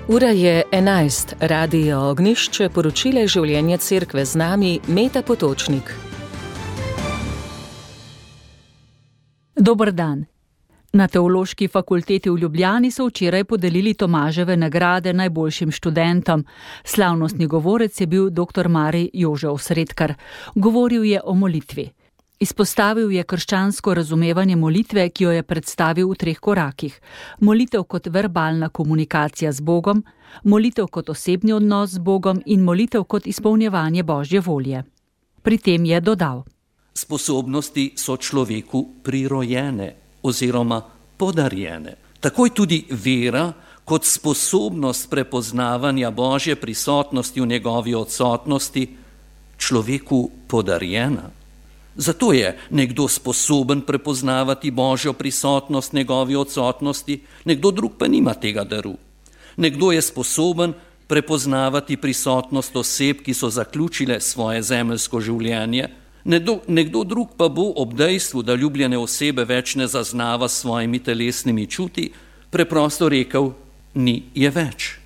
Ura je 11, Radio Ognjišče, poročile življenja cerkve z nami, Meta Potočnik. Dober dan. Na Teološki fakulteti v Ljubljani so včeraj podelili Tomaževe nagrade najboljšim študentom. Slavnostni govorec je bil dr. Marij Jože Osredkar. Govoril je o molitvi. Izpostavil je krščansko razumevanje molitve, ki jo je predstavil v 3 korakih. Molitev kot verbalna komunikacija z Bogom, molitev kot osebni odnos z Bogom in molitev kot izpolnjevanje Božje volje. Pri tem je dodal: Sposobnosti so človeku prirojene oziroma podarjene. Takoj tudi vera kot sposobnost prepoznavanja Božje prisotnosti v njegovi odsotnosti človeku podarjena. Zato je nekdo sposoben prepoznavati Božjo prisotnost v njegovi odsotnosti, nekdo drug pa nima tega daru. Nekdo je sposoben prepoznavati prisotnost oseb, ki so zaključile svoje zemeljsko življenje, nekdo drug pa bo ob dejstvu, da ljubljene osebe več ne zaznava s svojimi telesnimi čuti, preprosto rekel, ni je več.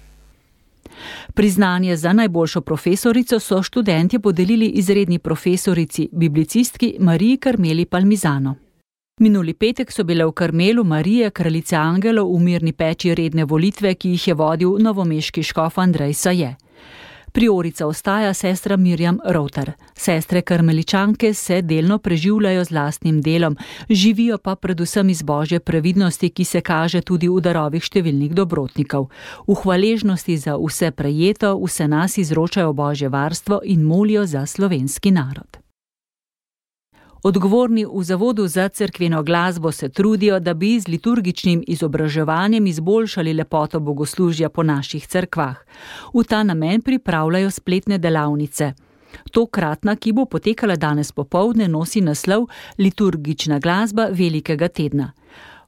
Priznanje za najboljšo profesorico so študentje podelili izredni profesorici, biblicistki Mariji Karmeli Palmizano. Minuli petek so bile v Karmelu Marije, kraljice angelov, v mirni peči redne volitve, ki jih je vodil novomeški škof Andrej Saje. Priorica ostaja sestra Mirjam Rovtar. Sestre karmeličanke se delno preživljajo z lastnim delom, živijo pa predvsem iz Božje previdnosti, ki se kaže tudi v darovih številnih dobrotnikov. V hvaležnosti za vse prejeto, vse nas izročajo Božje varstvo in molijo za slovenski narod. Odgovorni v Zavodu za cerkveno glasbo se trudijo, da bi z liturgičnim izobraževanjem izboljšali lepoto bogoslužja po naših cerkvah. V ta namen pripravljajo spletne delavnice. Tokratna, ki bo potekala danes popoldne, nosi naslov Liturgična glasba velikega tedna.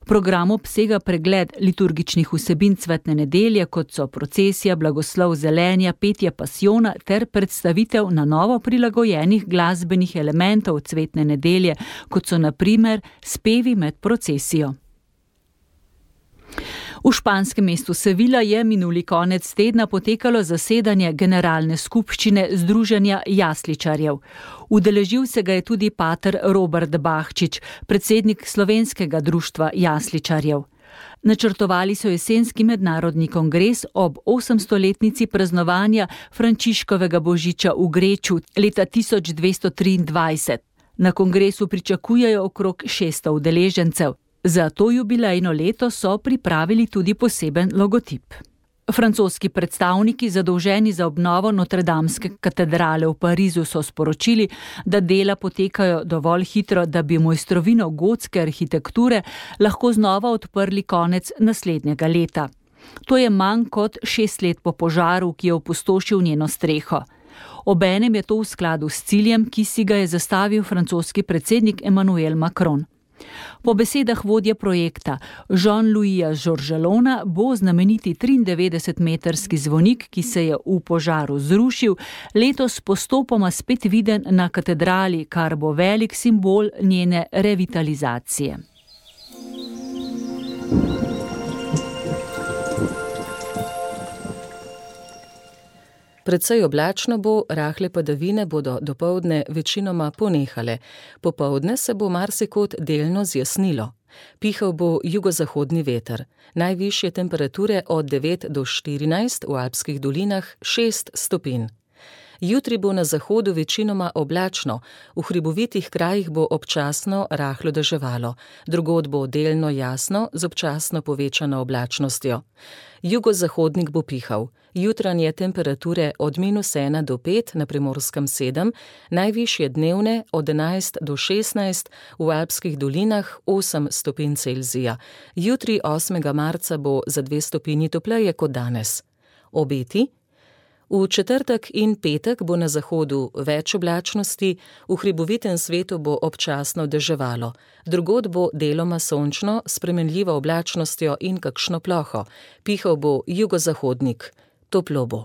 Program obsega pregled liturgičnih vsebin cvetne nedelje, kot so procesija, blagoslov zelenja, petje pasijona ter predstavitev na novo prilagojenih glasbenih elementov cvetne nedelje, kot so na primer spevi med procesijo. V španskem mestu Sevilla je minuli konec tedna potekalo zasedanje generalne skupščine Združenja jasličarjev. Udeležil se ga je tudi pater Robert Bahčič, predsednik slovenskega društva jasličarjev. Načrtovali so jesenski mednarodni kongres ob 800-letnici praznovanja Frančiškovega božiča v Greču leta 1223. Na kongresu pričakujejo okrog 600 udeležencev. Za to jubilejno leto so pripravili tudi poseben logotip. Francoski predstavniki, zadolženi za obnovo Notredamske katedrale v Parizu, so sporočili, da dela potekajo dovolj hitro, da bi mojstrovino gotske arhitekture lahko znova odprli konec naslednjega leta. To je manj kot 6 let po požaru, ki je opustošil njeno streho. Obenem je to v skladu s ciljem, ki si ga je zastavil francoski predsednik Emmanuel Macron. Po besedah vodje projekta Jean-Louisa Georgelona bo znameniti 93-metrski zvonik, ki se je v požaru zrušil, letos postopoma spet viden na katedrali, kar bo velik simbol njene revitalizacije. Precej oblačno bo, rahle padavine bodo dopoldne večinoma ponehale. Popoldne se bo marsikod delno zjasnilo. Pihal bo jugozahodni veter. Najvišje temperature od 9 do 14, v alpskih dolinah 6 stopinj. Jutri bo na zahodu večinoma oblačno, v hribovitih krajih bo občasno rahlo deževalo, drugod bo delno jasno z občasno povečano oblačnostjo. Jugozahodnik bo pihal. Jutranje temperature od -1 do 5, na Primorskem 7, najvišje dnevne od 11 do 16, v alpskih dolinah 8 stopinj Celzija. Jutri 8. marca bo za 2 stopinji topleje kot danes. Obeti? V četrtek in petek bo na zahodu več oblačnosti, v hribovitem svetu bo občasno deževalo. Drugod bo deloma sončno, s spremenljivo oblačnostjo in kakšno ploho. Pihal bo jugozahodnik. Toplo bo.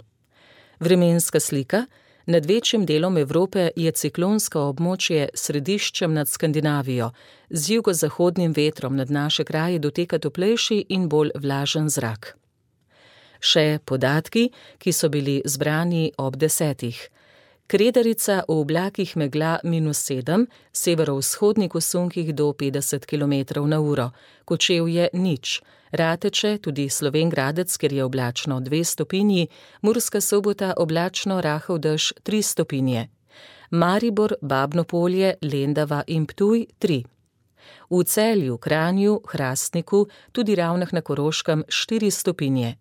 Vremenska slika. Nad večjim delom Evrope je ciklonsko območje središčem nad Skandinavijo. Z jugozahodnim vetrom nad naše kraje doteka toplejši in bolj vlažen zrak. Še podatki, ki so bili zbrani ob 10. Kredarica v oblakih megla -7, severovzhodnih usunkih do 50 km/h, Kočevje nič, Rateče, tudi Slovenj Gradec, kjer je oblačno 2 stopinji, Murska Sobota oblačno rahel dež 3 stopinje. Maribor, Babno Polje, Lendava in Ptuj 3. V Celju, Kranju, Hrastniku, tudi Ravnah na Koroškem 4 stopinje.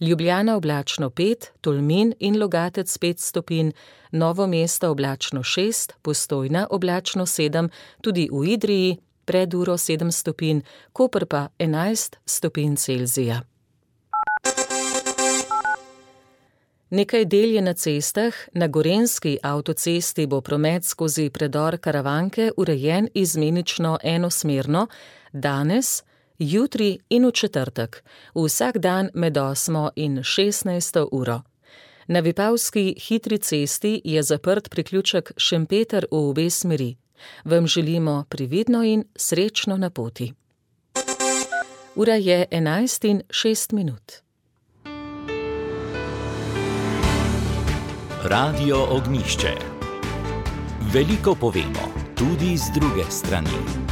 Ljubljana oblačno 5, Tolmin in Logatec 5 stopinj, Novo mesto oblačno 6, Postojna oblačno 7, tudi v Idriji pred uro 7 stopinj, Koper pa 11 stopinj Celzija. Nekaj del je na cestah. Na Gorenjski avtocesti bo promet skozi predor Karavanke urejen izmenično enosmerno, danes, jutri in v četrtek, vsak dan med 8 in 16 uro. Na Vipavski hitri cesti je zaprt priključek Šempeter v obe smeri. Vam želimo previdno in srečno na poti. Ura je 11:06. Radio Ognjišče. Veliko povemo, tudi z druge strani.